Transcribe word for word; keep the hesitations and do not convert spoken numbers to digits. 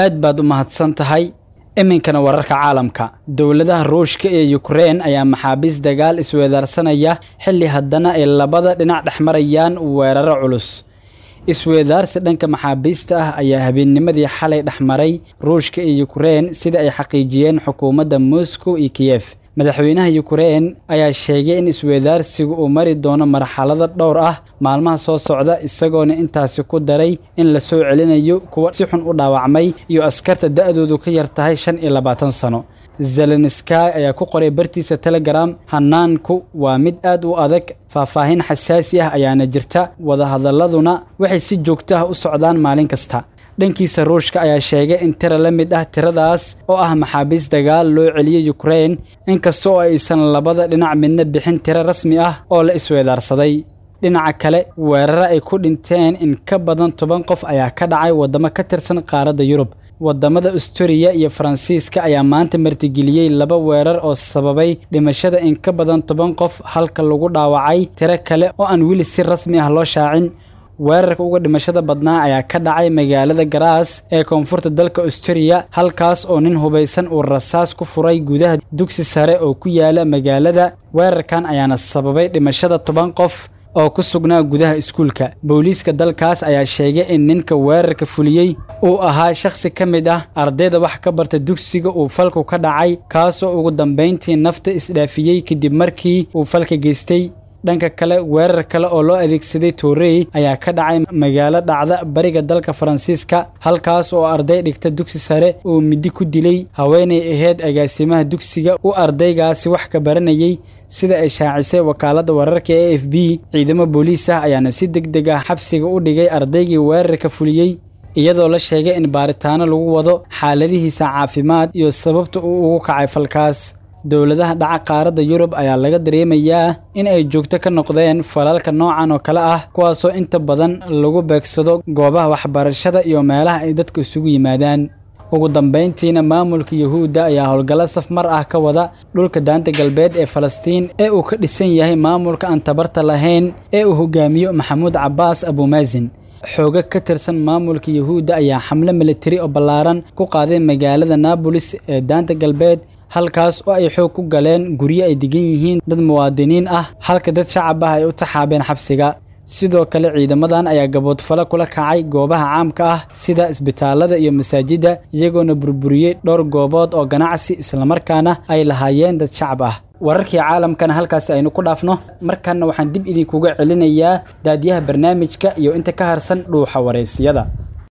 Aad baad u mahadsan tahay. Iminkana wararka caalamka. Dowladaha Ruushka iyo Ukraine ayaa maxaabiis dagaal isweedaarsanaya, xilli haddana ay labada dhinac dhexmarayaan weeraro culus. Isweedaarsi dhanka maxaabiista ah ayaa habeennimadii xalay dhexmaray Ruushka iyo Ukraine, sida ay xaqiijiyeen xukuumadda Moscow iyo Kiev. Madaxweynaha Ukraine ayaa sheegay in isweedaarsigu uu mari doono marxalado dhowr ah maalmaha soo socda, isagoona intaasi ku daray in la soo celinayo kuwa si xun u dhaawacmay iyo askarta da'doodu ka yar tahay shan iyo labaatan sano. Zelenskiy ayaa ku qoray bartiisa Telegram: "Hanaanku waa mid aad u adag, faahfaahin xasaasi ah ayaana jirta, wadahadaladuna waxay si joogto ah u socdaan maalin kasta." Dhankiisa, Ruushka ayaa sheegay in tiro la mid ah tiradaas oo ah maxaabiis dagaal loo celiyey Ukraine, inkasta oo aysan labada dhinac midna bixin tiro rasmi ah oo la isweedaarsaday. Dhinaca kale, weeraro ay ku dhinteen in ka badan toban qof ayaa ka dhacay waddamo ka tirsan qaaradda Yurub. Waddamada Austria iyo Faransiiska ayaa maanta martigeliyey laba weerar oo sababay dhimashada in ka badan toban qof, halka lagu dhaawacay tiro kale oo aan weli si rasmi ah loo shaacin. Weerarka uga dhimashada badnaa ayaa ka dhacay magaalada Graz ee koonfurta dalka Austria, halkaas oo nin hubaysan uu rasaas ku furay gudaha dugsi sare oo ku yaala magaalada. Weerarkan ayaana sababay dhimashada toban qof oo ku sugnaa gudaha iskuulka. Booliiska dalkaas ayaa sheegay in ninka weerarka fuliyey uu ahaa shakhsi ka mid ah ardayda wax ka barta dugsiga uu falku ka dhacay, kaasoo ugu dambeyntii nafta isdhaafiyey kadib markii uu falka geystay. Dhanka kale, weerar kale oo loo adeegsaday toorey ayaa ka dhacay magaalo dhacda bariga dalka Faransiiska, halkaas oo arday dhigta dugsi sare uu midi ku dilay haweenay ahayd agaasimaha dugsiga uu ardaygaasi wax ka baranayay, sida ay shaacisay wakaaladda wararka ee A F P. Ciidamo booliis ah ayaana si degdeg ah xabsiga u dhigay ardaygii weerarka fuliyey, iyadoo la sheegay in baaritaano lagu wado xaaladihiisa caafimaad iyo sababta uu ugu kacay falkaas. Dowladaha dhaca qaaradda Yurub ayaa laga dareemayaa in ay joogto ka noqdeen falalka noocan oo kale ah, kuwaasoo inta badan lagu beegsado goobaha waxbarashada iyo meelaha ay dadku isugu yimaadaan. Ugu dambeyntiina, maamulka Yuhuudda ayaa howlgallo safmar ah ka wada dhulka Daanta Galbeed ee Falastiin ee uu ka dhisan yahay maamulka aan tabarta lahayn ee uu hogaamiyo Maxamuud Cabbaas Abumaazin. Xooga ka tirsan maamulka Yuhuudda ayaa xamle militari oo ballaaran ku qaaday magaalada Naabolis ee Daanta Galbeed, halkaas oo ay xoog ku galeen guryo ay degan yihiin dad muwaadiniin ah, halka dad shacab ah ay u taxaabeen xabsiga. Sidoo kale, ciidamadan ayaa gaboodfalo kula kacay goobaha caamka ah sida isbitaalada iyo masaajidda, iyagoona burburiyey dhowr goobood oo ganacsi islamarkaana ay lahaayeen dad shacab ah. Wararkii caalamkana halkaasi aynu ku dhaafno. Markanna waxaan dib idinkuga celinayaa daadiyaha barnaamijka iyo inta ka harsan dhuuxa wareysiyada.